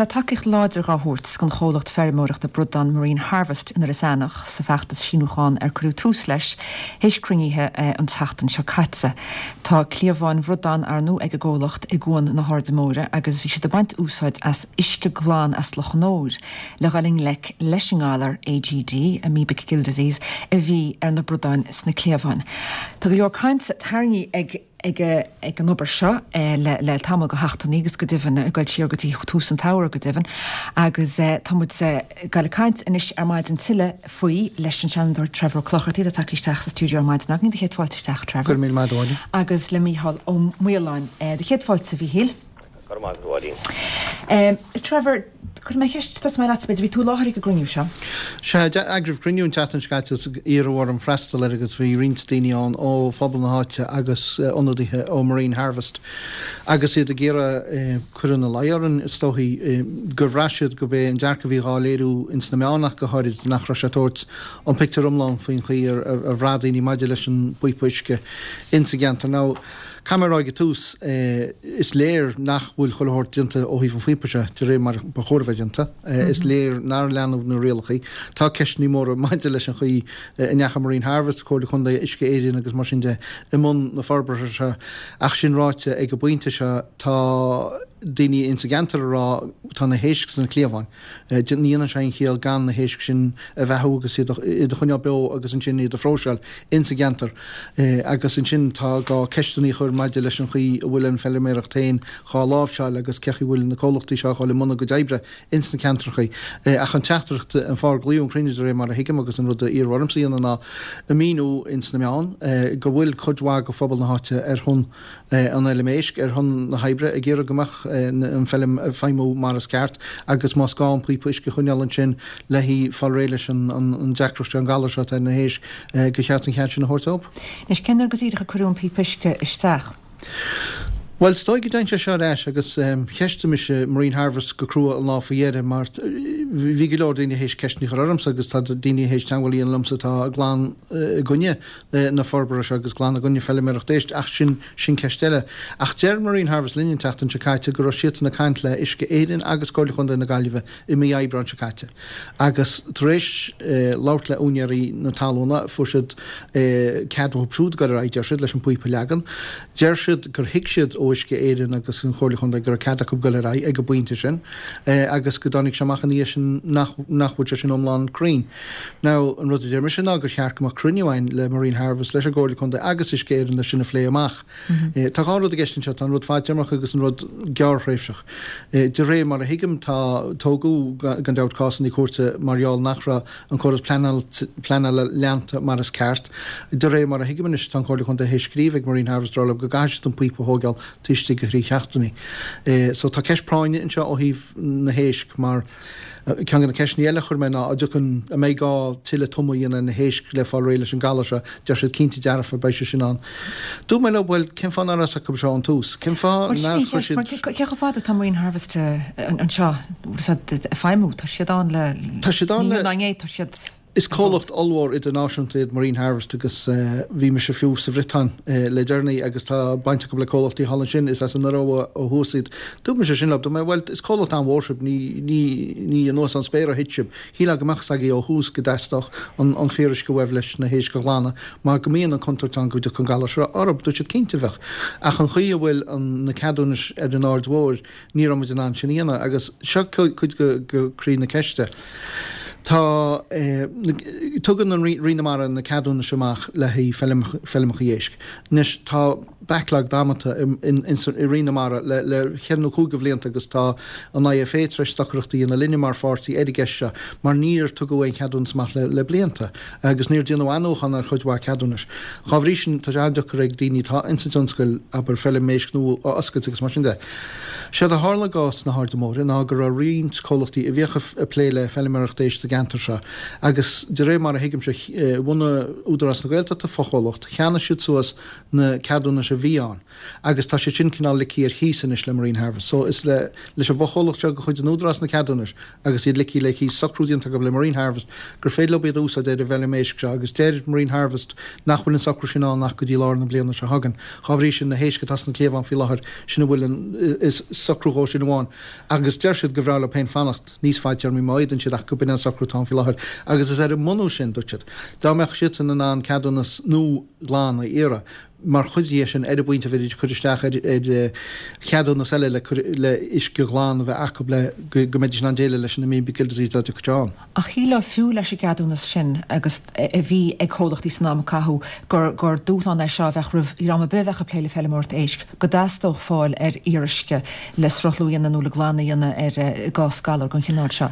tá tacaíocht láidir dhá thabhairt don chomhlacht feirmeoireachta bradán Marine Harvest in Iorras Aithneach sa bhfeachtas síniúchán ar cuireadh tús leis théis cruinnithe an tseachtain seo caite. Tá cliabháin bhradán arnú ag an gcomhlacht i gCuan na hAirde Móire agus bhí siad ag baint úsáid as uisce glan as Loch an Óir le dhul i ngleic leis an ngalar AGD, Amoebic Gill Disease, a bhí ar na bradáin sna cliabháin. Tá go leor cainte tarraingthe ag. ag an obair seo le tamall de sheachtainí agus go deimhin ag dul siar go dtí tús an tsamhraidh go deimhin agus tá muid ag dul ag caint anois ar maidin tuilleadh faoi leis an Seanadóir Trevor Ó Clochartaigh atá tagtha isteach sa stiúideo ar maidin againn. Do chéad fáilte isteach, Trevor. Go raibh míle maith agat, a Mháirín. Agus le Mícheál Ó Maoláin. Do chéad fáilte, a Mhíchíl. Go raibh maith agat, a Mháirín. Trevor, cuirfidh mé ceist, tosóidh mé leatsa b'fhéidir, bhí tú i láthair ag an gcruinniú seo? Sea, d'eagraíodh cruinniú an tseachtain seo caite agus iarradh orm freastal air agus bhí roinnt daoine ann ó phobal na háite agus ionadaithe ó Marine Harvest agus iad ag iarraidh cur ina luí orainn, is dóichí, gur bhraith siad gurb é an dearcadh a bhí dhá léiriú ins na meáin ach go háirid, nach raibh sé ag tabhairt an pictiúr iomlán faoin chaoi ar bhraith daoine maidir leis an bpíopa uisce ins an gceantar. Now, Caithfidh mé a rá ag an tús, is léir nach bhfuil chuile shórt déanta ó thaobh an phíopa seo de réir mar ba chóir a bheith déanta. Is léir nár leanadh na rialacha. Tá ceisteanna móra maidir leis an chaoi a ndeachaigh Marine Harvest, Comhairle Contae, Uisce Éireann agus mar sin de i mbun na forbartha seo. Ach sin ráite, ag an bpointe seo tá daoine ins an gceantar ag rá tá na héisc sna cliabháin. Ní dhéanann sé aon chiall gan na héisc sin a bheathú agus iad a choinneáil beo agus ansin iad a phróiseáil ins an gceantar. Agus ansin tá gá ceisteanna a chur maidir leis an chaoi a bhfuil an feilméaracht féin dhá láimhseáil agus cé chaoi a bhfuil na comhlachtaí seo a dhul i mbun a gcuid oibre ins na ceantrachaí. Ach an teachtaireacht, an fáth ar glaodh an cruinniú de réir mar a thuigim agus an rud a iarradh ormsa a dhéanamh ná a mhíniú ins na meáin go bhfuil cuid mhaith de phobal na háite ar shon an fheilm éisc ar shon na hoibre ag iarraidh go mbeadh an feilm ag feidhmiú mar is ceart agus más gá an píopa uisce a choinneáil ansin le fáil réidh leis an deacracht seo, an galar seo atá ar na héisc, gur cheart an cead sin a thabhairt dóibh. Anois, cén uair go díreach a cuireadh an píopa uisce isteach? Bhuel, is dóigh go dtéann sé seo ar ais agus cheistigh mise Marine Harvest go crua an lá faoi dheireadh mar bhí go leor daoine théis ceisteanna a chur ormsa agus tá daoine théis teagmháil a dhéanamh liomsa atá glan i gcoinne na forbartha seo agus glan i gcoinne feilméaracht éisc, ach sin, sin ceist eile. Ach deir Marine Harvest linn an tseachtain seo caite go raibh siadsan ag caint le Uisce Éireann agus Comhairle Chontae na Gaillimhe i mí Aibreáin seo caite agus tar éis labhairt le úinéirí na talúna fuair siad cead uathu siúd dul ar aghaidh, deir siad, leis an bpíopa a leagan. Deir siad gur thuig siad ó Uisce Éireann agus an Chomhairle Chontae go raibh cead acu dul ar aghaidh ag an bpointe sin agus go dtáinig sé amach ina dhiaidh sin nach nach bhfuil sé sin iomlán cruinn. Now, an rud a deir mise ná gur cheart go mbeadh cruinniú againn le Marine Harvest, leis an gComhairle Contae agus Uisce Éireann leis sin a phlé amach. Tá dhá rud i gceist anseo, tá an rud fadtéarmach agus an rud gearrthréimhseach. De réir mar a thuigim, tá, tógadh gan dabht cásanna cúirte mar gheall nach raibh an córas pleanála leanta mar is ceart. De réir mar a thuigim anois, tá an Chomhairle Contae théis scríobh ag Marine Harvest ag rá leo go gcaithfidh siad an píopa a thóigeáil taobh istigh de thrí sheachtainí. So tá ceist práinne anseo ó thaobh na héisc mar, Ceann de na ceisteanna eile a chuir mé ná, an dtiocfaidh, an mbeidh gá tuilleadh tumadh a dhéanamh ar na héisc le fáil réidh leis an galar seo? Deir siad cinnte dearfa, beidh sé sin ann. Dúirt mé leo, bhuel, cén fáth nár fhios acu seo ón tús? Cén fáth nár chuir siad. Cé chomh fada atá Marine Harvest anseo ag feidhmiú? Tá siad ann le, Tá siad ann le. Ní inniu ná inné, tá siad. Is comhlacht ollmhór idirnáisiúnta iad Marine Harvest agus bhí mise fiú sa Bhriotáin le deireanaí agus tá baint acu le comhlachtaí thall ansin, is as an Iorua ó thuas iad. Dúirt mise sin leo, dúirt mé, bhuel, is comhlacht an-mhór sibh, ní, ní, ní anuas ón spéir a thit sibh. Shílfeá go mbeadh fhios agaibh ó thús go dteastódh an, an fíoruisce uaibh leis na héisc a ghlanadh mar go mbíonn an chontúirt ann go dtiocfadh an galar seo orthu. Dúirt siad, cinnte bheadh. Ach an chaoi a bhfuil an, na ceadúnais ar an Aird Mhóir, Ní raibh muid in ann sin a dhéanamh agus seo cuid de chroí na ceiste. Tá, tugann an Roinn na Mara na ceadúnais amach le haghaidh feilmeacha éisc. Anois tá backlog damanta i Roinn na Mara le cheithre nó cúig de bhlianta agus tá an IFA tar éis stocaireacht a dhéanamh linne mar pháirtí ar an gceist seo mar níor tugadh aon cheadúnas amach le blianta agus níor déanadh athnuachan ar chuid mhaith ceadúnais. Dhá bhrí sin tá sé an-deacair ag daoine atá ins an tionscal, abair, feilm éisc nua a oscailt agus mar sin de. Séard a tharla i gcás na hAirde Móire ná go raibh roinnt comhlachtaí a bhíodh ag plé le feilméaracht éisc sa gceantar. gceantar seo agus de réir mar a thuigimse, bhunaigh Údarás na Gaeltachta fochomhlacht, cheannaigh siad suas na ceadúnais a bhí ann agus tá siad sin cineál ligthe ar chíos anois le Marine Harvest. So is le leis an bhfochomhlacht seo de chuid an Údarás na ceadúnais agus iad ligthe le cíos, socrú déanta acu le Marine Harvest gur féidir leo iad a úsáid ar an bhfeilm éisc seo agus deir Marine Harvest nach bhfuil an socrú sin ann ach go dtí lár na bliana seo chugainn. Dhá bhrí sin, na héisc atá sna cliabháin faoi láthair, sin a bhfuil an, is socrú dhó sin amháin agus deir siad gur bhreá leo féin fanacht níos fadtéarmaí má fhéadann siad ach go b'in an socrú atá ann faoi láthair agus is ar an mbunús sin, dúirt siad, dá mbeadh siadsan in ann ceadúnas nua glan a iarraidh. mar chuid dhe sin, ar an bpointe a bheidís ag cur isteach ar cheadúnas eile le cur le uisce glan a bheith acu le go mbeidís in ann déileáil leis an amoebic gill disease dá dtiocfadh sé ann. Ach shílfeá fiú leis an gceadúnas sin agus a bhí ag comhlachtaí san am a caitheadh gur gur dúshlán é seo a bheadh roimh dhream ar bith a bheadh ag plé le feilméaracht éisc, go dteastódh fáil ar fhíoruisce le sruthlú a dhéanamh nó le glanadh a dhéanamh ar i gcás galar den chineál seo.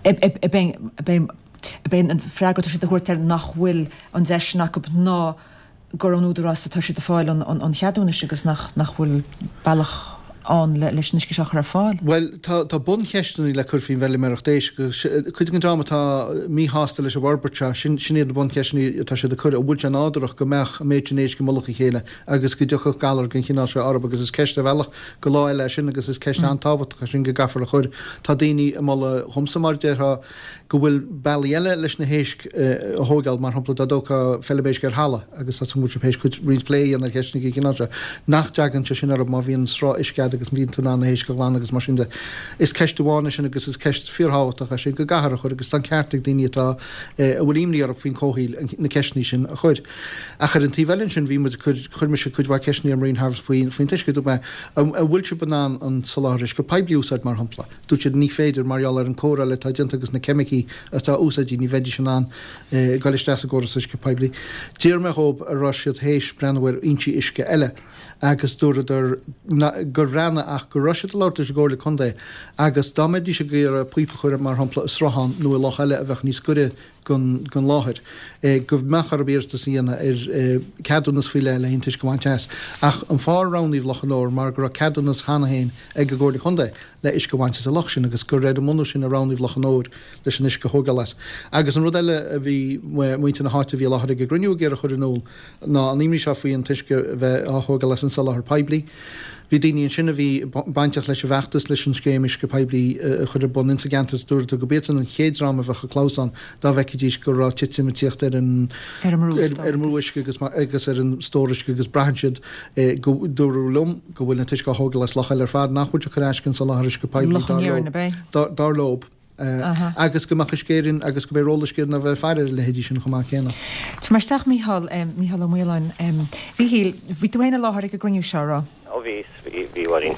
Ab é an freagra atá siad a thabhairt air nach bhfuil an deis sin acu ná gur ón Údarás atá siad ag fáil an cheadúnais agus nach bhfuil bealach ann leis an uisce seo a chur ar fáil. Bhuel, tá tá buncheisteanna le cur faoin bhfeilméaracht éisc agus cuid den dream atá míshásta leis an bhforbairt seo, sin sin iad na buncheisteanna atá siad ag cur, an bhfuil sé nádúrach go mbeadh an méid sin éisc i mullach a chéile agus go dtiocfadh galar den chineál seo orthu agus is ceist ar bhealach go lá eile é sin agus is ceist an-tábhachtach é sin go gcaithfear a chur. Tá daoine ag moladh dhomsa mar a déarfá, go bhfuil bealaí eile leis na héisc a thóigeáil, mar shampla dá dtógfá feilm éisc ar thalamh, agus tá súil agam go bhfuil sibh théis cuid roinnt plé a dhéanamh ar cheisteanna den chineál seo, nach dtagann sé sin orthu má bhíonn sruth uisce agat agus bíonn tú in ann na héisc a ghlanadh agus mar sin de. Is ceist amháin é sin agus is ceist fíorthábhachtach é sin go gcaithfear a chur agus tá an ceart ag daoine atá, a bhfuil imní orthu faoin comhshaoil na ceisteanna sin a chur. Ach ar an taobh eile ansin bhí muid ag cur, chuir mise cuid mhaith ceisteanna ar Marine Harvest faoin t-uisce, dúirt mé, an bhfuil sibh in ann an soláthar uisce poiblí a úsáid mar shampla? Dúirt siad ní féidir mar gheall ar an cóireáil atá déanta agus na ceimicí atá úsáidte ní bheidís in ann goil isteach sa gcóras uisce poiblí. D'iarr mé dhóibh an raibh siad théis breathnú ar fhoinsí uisce eile agus dúradar gur bhreathnaigh ach go raibh siad ag labhairt leis an gComhairle Contae agus dá mbeidís ag iarraidh píopa a chur mar shampla i sruthán nó i loch eile a bheadh níos gaire den láthair, go mbeadh orthu iarratas a dhéanamh ar cheadúnas faoi leith le an t-uisce a bhaint as. Ach an fáth ar roghnaíodh Loch an Óir mar go raibh ceadúnas cheana féin ag an gComhairle Contae le uisce a bhaint as an loch sin agus gur ar an mbunús sin a roghnaíodh Loch an Óir leis an uisce a thógáil as. Agus an rud eile a bhí muintir na háite a bhí i láthair ag an gcruinniú ag iarraidh a chur in iúl ná an imní seo faoi an t-uisce a bheith á thógáil as an soláthar poiblí. Bhí daoine ansin a bhí bainteach leis an bhfeachtas leis an scéim uisce poiblí a chur ar bun insa gceantar is dúradar go b'iadsan an chéad dream a bheadh ag clamhsán dá bhfeicfidís go raibh titim ag tíocht ar an ar an mbrú uisce agus agus ar an stór uisce agus braitheann siad go dúradh liom go bhfuil an t-uisce á thógáil as loch eile ar fad nach bhfuil sé ag cur as don soláthar uisce poiblí dar leo. agus go mbeadh Uisce Éireann agus go mbeidh ról Uisce Éireann a bheith ag faire ar a leithéidí sin chomh maith céanna. Tabharfaidh mé isteach Mícheál, Mícheál Ó Maoláin. Mhíchíl, bhí tú féin i láthair ag an gcruinniú seo, raibh? Ó bhí, bhí, a Mháirín.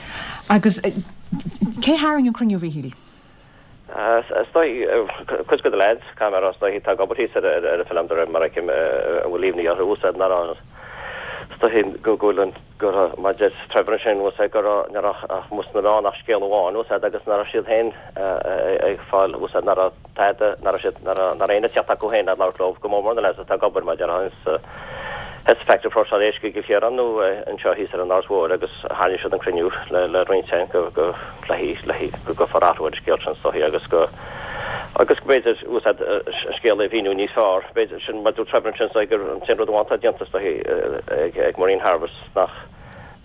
Agus cé tharraing an cruinniú, a Mhíchíl? Is dóigh, cuid de na lads, caithfidh mé a rá, is dóigh, atá ag obair thíos ar an bhfeilm de réir mar a fheicim, a bhfuil imní orthu, úsáid nach raibh, is dóigh go bhfuil an, go raibh, mar a deir Trevor ansin, bhfuil a fhios agat, go raibh, ní raibh ach amuigh sna meáin ach scéal amháin, bhfuil a fhios agat, agus nach raibh siad féin ag fáil, bhfuil a fhios agat, nach raibh tada, nach raibh siad, nach raibh, nach raibh éinne ag teacht acu féin ag labhairt leo, go mór mór na lads atá ag obair, mar a déarfá, ins, sa factory próiseáil éisc i gCill Chiaráin nó anseo thíos ar an Áras Mhóir agus tharraing siad an cruinniú le, le roinnt féin go, go, le, le, go gcuirfear athrú ar an scéal sin is dóichí agus go, agus go mb'fhéidir bhfuil a fhios agat an scéal a mhíniú níos fearr. B'fhéidir, sin mar dúirt Trevor ansin is dóigh gur an t-aon rud amháin atá déanta is dóichí ag Marine Harvest nach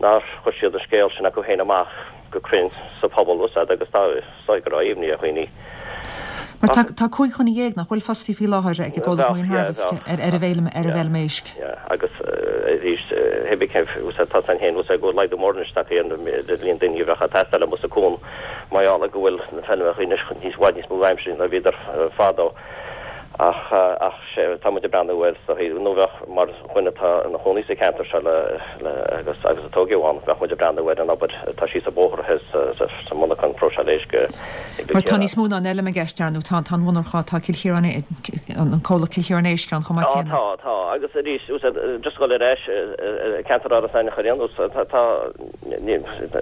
nár chuir siad an scéal sin acu féin amach go cruinn sa phobal bhfuil a fhios agat agus tá is dóigh go raibh imní ar dhaoine. Mar tá tá 15 dhuine nach bhfuil fostaí faoi láthair ag an gcomhlacht Marine Harvest ar ar an bhfeilm ar an bhfeilm éisc. Yeah, agus arís, hé bith cén bhfuil a fhios agat tá san féin bhfuil a fhios agat go bhfuil laghdú mór anois tagtha ar an líon daoine a bheadh ag teastáil amuigh sa cuan. Mar gheall ar go bhfuil na feilmeacha anois níos i bhfad níos mó aimsire ná bhíodar fadó. Ach ach sé tá muid ag breathnú air so nó bheadh mar dhuine atá ina chónaí sa cheantar seo le le agus agus a tógadh ann bheadh muid ag breathnú ar an obair atá síos an bóthar thoir sa sa sa monarchan próiseáil éisc i gCill Mar tá níos mó ná an fheilm i gceist ar ndóigh tá tá an mhonarcha tá Cill Chiaráin an comhlacht Cill Chiaráin Éisc ann chomh maith céanna. Tá tá agus arís just dul ar ais ceantar Áras Eanach ar aon nós tá tá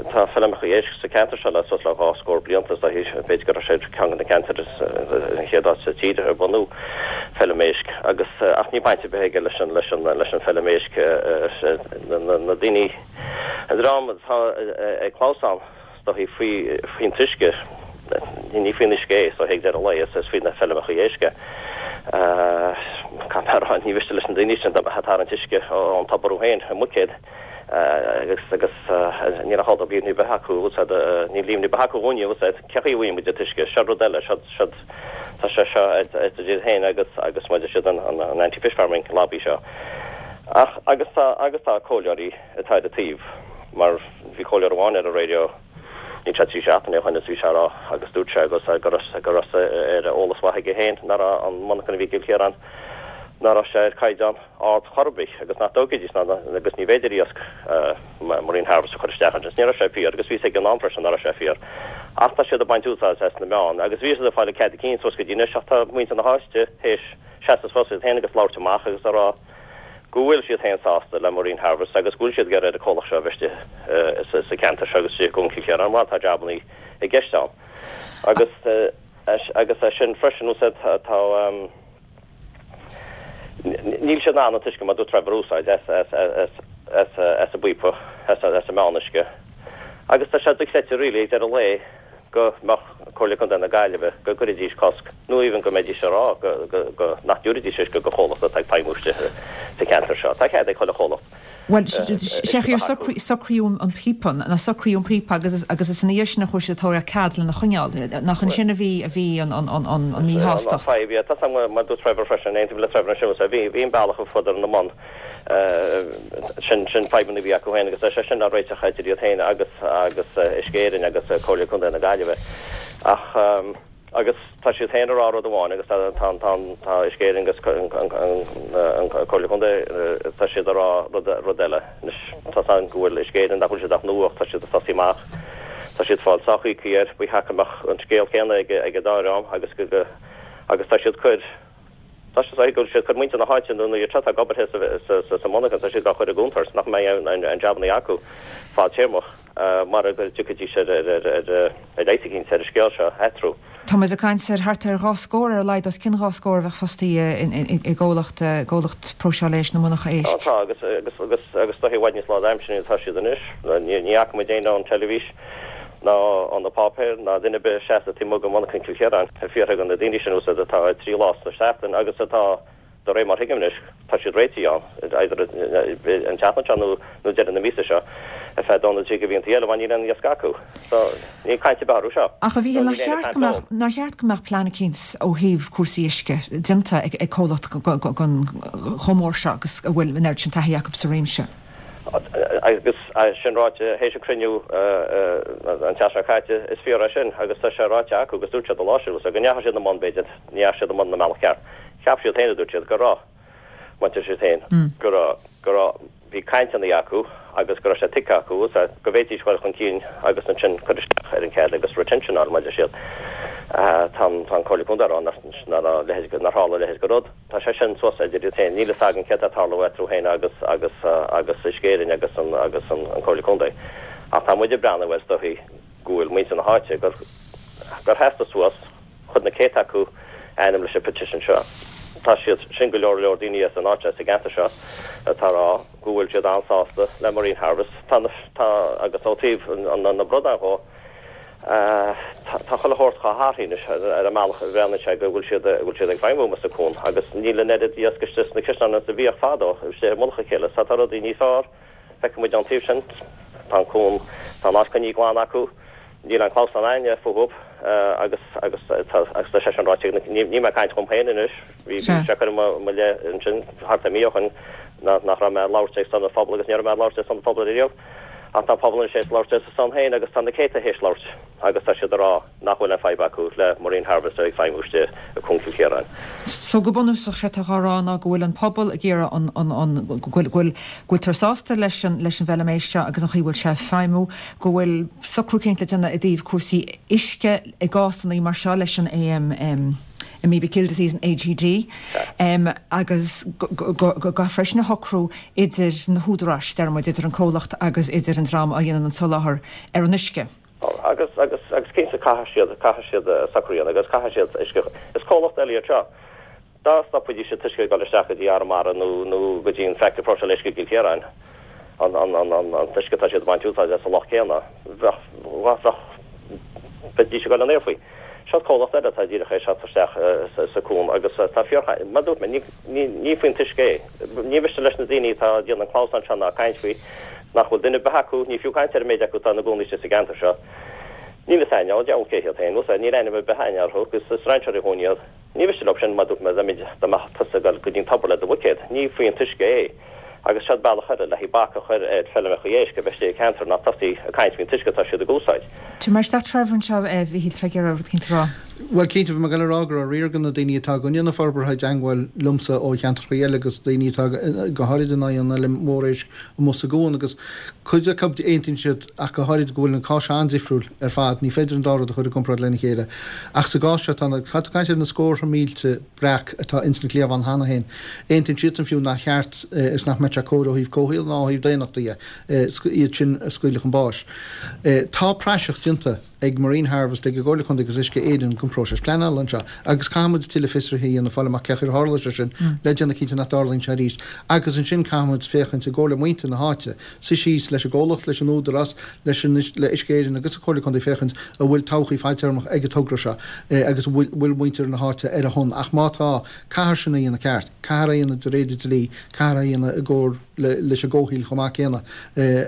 Tá feilmeacha éisc sa cheantar seo le suas le dhá scór blianta is dóichí. B'fhéidir go raibh sé ceann de na ceantair is an chéad áit sa tír ar bunú feilm éisc agus ach níl baint ar bith aige leis an leis an leis an feilm éisc na na daoine an dream atá ag clamhsán is dóichí faoi faoin t-uisce. Ní faoin uisce é, so ag deireadh an lae, is faoi na feirmeacha éisc é. Caithfidh mé a rá, ní mhiste leis na daoine sin dá mbeadh ag tarraingt uisce ón tobar orthu féin i mbuicéad agus agus níl aon chomhlacht ar bith acu, níl líomhain ar bith acu dhúinne, cén chaoi a bhfaigheann muid an t-uisce, seo rud eile, seo seo tá sé seo idir iad féin agus agus maidir siad an an anti-fish farming lobby seo. Ach agus tá agus tá comhairleoirí atá ar a taobh mar bhí comhairleoir amháin ar an raidió, Níl sé 3 seachtaine ó shoin is bhí sé a rá agus dúirt sé agus go raibh go raibh ar eolas mhaith aige féin nach raibh an monarchan a bhí i gCill Chiaráin nach raibh sé ar caighdeán ard chor ar bith agus nach dtógfaidís ná agus ní bhféidir iasc Marine Harvest a chur isteach ansin. Ní raibh sé fíor agus bhí fhios ag an am freisin nach raibh sé fíor. Ach tá siad ag baint úsáid as na meáin agus bhí siad ag fáil cead a cinn suas go dtí anois ach tá muintir na háite théis seasamh suas iad féin agus labhairt amach agus a rá go bhfuil siad féin sásta le Marine Harvest agus go bhfuil siad ag iarraidh ar an comhlacht seo a bheith istigh sa cheantar seo agus istigh i gCuan Chill Chiaráin mar tá jabannaí i gceist ann. Agus agus é sin freisin úsáid tá níl siad in ann an t-uisce mar dúirt Trevor a úsáid as as as as as an bpíopa as as an meán-uisce agus tá sé dochreidte really ag deireadh an lae go mbeadh Comhairle Contae na Gaillimhe, go gcuirfidís cosc, nó even go mbeidís ag rá go, go, go, nach dtabharfaidís uisce do chomhlacht atá ag feidhmiú istigh sa cheantar seo. Tá cead ag chuile chomhlacht Bhuel, uisce a bheith acu. Socraíodh an píopa, nó socraíodh an píopa agus, agus is ina dhiaidh sin a chuaigh siad ag tabhairt cead lena choinneáil. Nach ansin a bhí, a bhí an, an, an, an An míshástacht? fadhb, yeah. Tá 's agam, mar dúirt Trevor freisin, aontaím le Trevor ansin, bhí, bhí an bealach a fuadar na mbonn. Sin sin fadhbanna a bhí acu féin agus tá sé sin á réiteach idir iad féin agus agus Uisce Éireann agus Comhairle Contae na Gaillimhe. Ach agus tá siad féin ag rá rud amháin agus tá tá tá tá Uisce Éireann agus an an Comhairle Contae tá siad ag rá rud rud eile. Anois tá 's agam go bhfuil Uisce Éireann nach bhfuil siad ach nua ach tá siad ag tosaí amach. Tá siad ag fáil sách íoctha air. Ba cheart go mbeadh an scéal céanna ag ag an dá dhream agus go go agus tá siad cur Tá sé go bhfuil siad ag cur muintir na háite nó iad seo atá ag obair sa monarchan, tá siad á chur i gcontúirt nach mbeidh aon jabannaí acu fadtéarmach mara go dtiocfaidís ar leigheas eicínt ar an scéal seo a athrú. Tá muid ag caint ar thart ar 2 scór, ar a laghad os cionn 2 scór a bheadh fostaithe i gcomhlacht gcomhlacht próiseála éisc nó monarcha éisc. Tá, agus agus agus tá i bhfad níos lánaimseartha ná atá siad anois. Ní fhaca muid éinne ón teilifís ná ó na páipéir, ná duine ar bith ag seasamh taobh amuigh de mhonarchan Chill Chiaráin ag fiafraí de na daoine sin úsáid atá 3 lá sa seachtain agus atá, de réir mar thuigim anois, tá siad réitithe ann, either an tseachtain seo nó nó deireadh na míosa seo, ar feadh dó nó trí de mhíontaí eile, mar níl aon iasc acu. So, níl caint ar bith orthu seo. Ach a Mhíchíl, nár cheart go mbeadh, nár cheart go mbeadh plean eicínt ó thaobh cúrsaí uisce déanta ag ag comhlacht den chomh mór seo agus a bhfuil an oiread sin taithí acu sa réimse? Agus é sin ráite, théis an cruinniú an tseachtain seo caite, is fíor é sin agus tá sé ráite acu agus dúirt siad an lá sin go ndeachaigh siad i mbun, b'fhéidir, ní dheachaigh siad i mbun na mbealach ceart. Cheap siad féin, a dúirt siad, go raibh, maidir siad féin, go raibh, go raibh, bhí cainteanna acu agus go raibh sé tuigthe acu go bhféadfaidís dul chun cinn agus ansin cur isteach ar an cead agus retention a fháil, maidir siad. Tá an Comhairle Contae ag rá nach raibh a leithéid, nár tharla a leithéid de rud. Tá sé sin suas idir iad féin. Níl fhios againn céard atá ag tarlú eatarthu féin agus agus agus Uisce Éireann agus an agus an an Comhairle Contae. Ach tá muid ag breathnú air is dóichí go bhfuil muintir na háite gur gur sheasadar suas, chuir na céadta acu ainm leis an petition seo. Tá siad sin go leor leor daoine as an áit as an gceantar seo atá ag rá go bhfuil siad an-sásta le Marine Harvest. Tá na tá agus ó taobh an na bradán dhó, Tá chuile shórt chomh hathraithe anois ar an mbealach a bhreathnaíonn sé go bhfuil siad go bhfuil siad ag feidhmiú amuigh sa cuan agus níl an oiread iasc istigh sna cuisneáin is a bhíodh fadó istigh i mullach a chéile. So tá rudaí níos fearr. Feicfidh muid ón taobh sin. Tá an cuan, tá an áit coinnithe glan acu. Níl aon clamhsán againne fúthu agus agus tá agus tá sé sin ráite ag na, níl mé ag caint dhom féin anois, bhí sé curtha i mo leith ansin thart ar mí ó shin nach raibh mé ag labhairt ar son an phobail agus ní raibh mé ag labhairt ar son an phobail ariamh. Ach tá an pobal anois théis labhairt ar a son féin agus tá na céadta théis labhairt agus tá siad ag rá nach bhfuil aon fadhb acu le Marine Harvest ag feidhmiú istigh i gCuan Chill Chiaráin. So go bunúsach sé atá á rá ná go bhfuil an pobal ag iarraidh an, an, an, go bhfuil, go bhfuil, go bhfuiltear sásta leis an, leis an bhfeilm éisc seo agus an chaoi a bhfuil sé ag feidhmiú, go bhfuil socrú eicínt le déanamh i dtaobh cúrsaí uisce i gcásanna mar seo leis an AM, Amoebic Gill Disease an AGD, agus go gcaithfear freisin a shocrú idir na húdaráis, deir muid, idir an comhlacht agus idir an dream a dhéanann an soláthar ar an uisce. Agus, agus, agus cinnte caithfidh siad, caithfidh siad socrú a dhéanamh agus caithfidh siad uisce, is comhlacht eile iad seo. Dá stopfaidís an t-uisce ag dul isteach go dtí Arramara nó, nó go dtí an factory próiseála éisc i gCill Chiaráin, an, an, an, an, an t-uisce atá siad ag baint úsáid as sa loch céanna, bheadh, bheadh. Bheidís ag dul in aer faoi. Seo comhlacht eile atá díreach ag teacht isteach sa cuan agus tá fíor, mar a dúirt mé, ní faoin t-uisce é. Ní mhiste leis na daoine atá ag déanamh an clamhsán seo ná caint faoi nach bhfuil duine ar bith acu, ní fiú caint ar an méid acu atá ina gcónaí istigh sa gceantar seo. Níl fhios a'inn, ó deabhal cé hiad féin, níl ainm ar bith a'inn orthu agus is strainséirí dhúinn iad. Ní mhiste leo sin, mar a dúirt mé, dá mbeadh tusa ag dul go dtí an tobar le do bhuicéad, ní faoi an t-uisce é. Agus seod bealach eile le haghaidh bac a chur ar feilmeacha éisc a bheith istigh i gceantar ná tosaí ag caint faoin t-uisce atá siad ag úsáid. Tabhair mé isteach Trevor anseo, a Mhíchíl, tá tú ag iarraidh rud eicínt a rá. Bhuel, cinnte, bhí mé ag dul a rá go raibh riar de na daoine atá i gcoinne na forbartha i dteangmháil liomsa ó cheantracha eile agus daoine atá go háirid in aghaidh an fheilm mhór éisc amuigh sa gcuan agus cuid acu aontaíonn siad ach go háirid go bhfuil an cás seo an-difriúil ar fad, ní féidir an dá rud a chur i gcomparáid lena chéile. Ach sa gcás seo, tá tá tú ag caint ar na scórtha mílte breac atá ins na cliabháin cheana féin. Aontaíonn siadsan fiú nach cheart is nach mbeadh sé cóir ó thaobh comhshaoil ná ó thaobh daonnachta dhe iad sin a scaoileadh chun báis. Tá praiseach déanta ag Marine Harvest, ag an gComhairle Contae agus Uisce Éireann den phróiseas pleanála anseo agus caithfidh muid tuilleadh fiosraithe a dhéanamh, fáil amach cén chaoi ar tharla sé sin le déanamh cinnte nach dtarlaíonn sé arís. Agus ansin caithfidh muid féachaint i gcomhar le muintir na háite, suí síos leis an gcomhlacht, leis an Údarás, leis an, le Uisce Éireann agus an Chomhairle Contae féachaint an bhfuil todhchaí fadtéarmach ag an togra seo agus an bhfuil, bhfuil muintir na háite ar a shon. Ach má tá, caithfear sin a dhéanamh ceart, caithfear é a dhéanamh de réir an dlí, caithfear é a dhéanamh i gcomhar le, leis an gcomhshaoil chomh maith céanna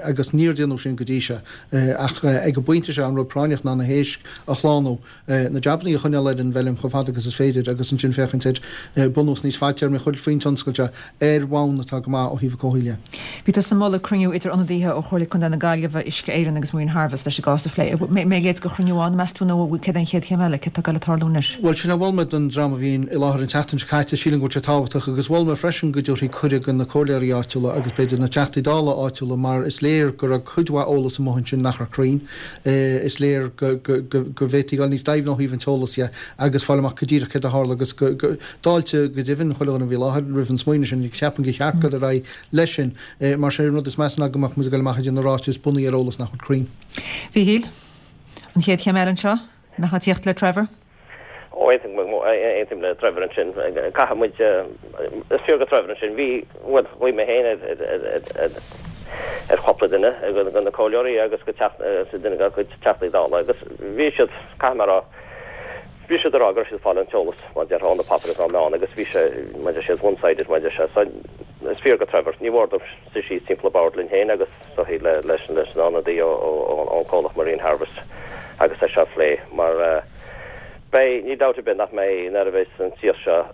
agus níor déanadh sin go dtí seo. Ach ag an bpointe seo an rud práinneach ná na héisc a shlánú. na jabannaí a choinneáil ar an bhfeilm chomh fada agus is féidir agus ansin féachaint ar bunús níos fadtéarmaí a chur faoin tionscal seo ar bhonn atá go maith ó thaobh an chomhshaoil dhe. Bhí tusa ag moladh cruinniú idir ionadaithe ó Chomhairle Contae na Gaillimhe, Uisce Éireann agus Marine Harvest leis an gcás a phlé. An mbeidh a leithéid de chruinniú ann, meas tú, nó céard é an chéad chéim eile? Céard atá ag dul ag tarlú anois? Bhuel, sin a mhol mé don dream a bhí i láthair an tseachtain seo caite. Sílim go bhfuil sé tábhachtach agus mhol mé freisin go dtabharfaí cuireadh do na comhairleoirí áitiúla agus b'fhéidir na Teachtaí Dála áitiúla mar is léir go raibh cuid mhaith eolas amuigh ansin nach raibh cruinn. Is léir go bhféadfaí dul níos doimhne ó thaobh an t-eolas dhe agus fáil amach go díreach céard a tharla agus go d'fháiltigh go deimhin chuile dhuine a bhí i láthair roimh an smaoineamh sin agus ceapaim gur cheart dul ar aghaidh leis sin mar sé an rud is measa ná go mbeadh muid ag dul amach ag déanamh ráiteas bunaithe ar eolas nach bhfuil cruinn. Mhíchíl, an chéad chéim eile anseo, an mbeifeá ag tíocht le Trevor? Ó, aontaím le Trevor ansin. Caithfidh muid, is fíor do Trevor ansin, bhí, bhuel, ghlaoigh mé féin ar chúpla duine de na comhairleoirí agus go teach, duine dá gcuid Teachtaí Dála agus bhí siad, caithfidh mé a rá, bhí siad ag rá go raibh siad ag fáil an t-eolas, mar a déarfá, ó na páipéir agus ón meán agus bhí sé, mar a deir siad, one-sided, mar a deir sé. So, is fíor do Trevor, ní mhór dóibh suí síos timpeall an bhoird linn féin agus. soithí leis an ionadaí ón chomhlacht Marine Harvest agus é seo a phlé mar beidh, níl dabht ar bith nach mbeidh, nuair a bheas an t-iasc seo,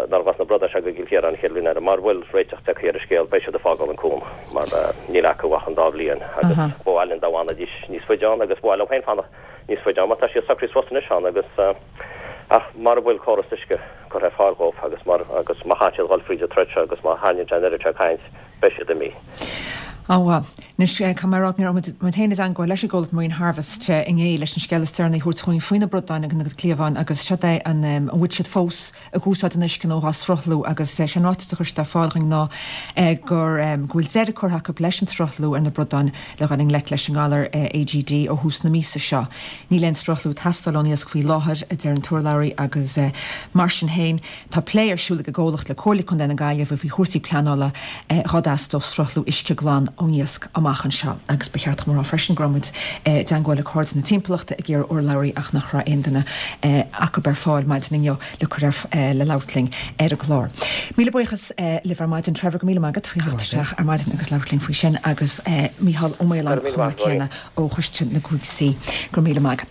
nuair a bheas na bradáin seo go gCill Chiaráin an chéad bhliain eile, mara bhfuil réiteach tagtha ar an scéal, beidh siad ag fágáil an cuan mar níl acu ach an dá bhliain agus ba mhaith linn dá bhfanfaidís níos faide ann agus ba mhaith leo féin fanacht níos faide ann mar tá siad socraithe suas anois ann agus ach mara bhfuil córas uisce curtha ar fáil dhóibh agus mar agus má chaithfidh siad dhul fríd an troid seo agus má tharraingíonn sé an oiread seo caint beidh siad imithe. Á, anois, caithfidh mé a rá go raibh muid féin i dteangmháil leis an gcomhlacht Marine Harvest inné leis an scéal is deireanaí a thabhairt chugainn faoi na bradáin agus na cliabháin agus seod é an an bhfuil siad fós ag úsáid an uisce nó dhá sruthlú agus sé an ráiteas a chuir siad ar fáil chugainn ná gur go bhfuil deireadh curtha acu leis an sruthlú ar na bradáin le dhul i ngleic leis an ngalar AGD ó thús na míosa seo. Níl aon sruthlú ag teastáil ón iasc faoi láthair, a deir an t-urlabhraí agus mar sin féin, Tá plé ar siúl ag an gcomhlacht le Comhairle Contae na Gaillimhe faoi chúrsaí pleanála dhá dteastódh sruthlú uisce glan ón iasc amach anseo. Agus ba cheart dom a rá freisin go raibh muid i dteangmháil le Cairde na Timpeallachta ag iarraidh urlabhraí ach nach raibh aon duine acu ar fáil maidin inniu le cur ar le labhairt linn ar an gclár. Míle buíochas libh ar maidin. Trevor, go míle maith agat faoi theacht isteach ar maidin agus labhairt linn faoi sin agus Mícheál Ó Maoláin chomh maith céanna ó Choiste na gCúig C. Go raibh míle maith agat.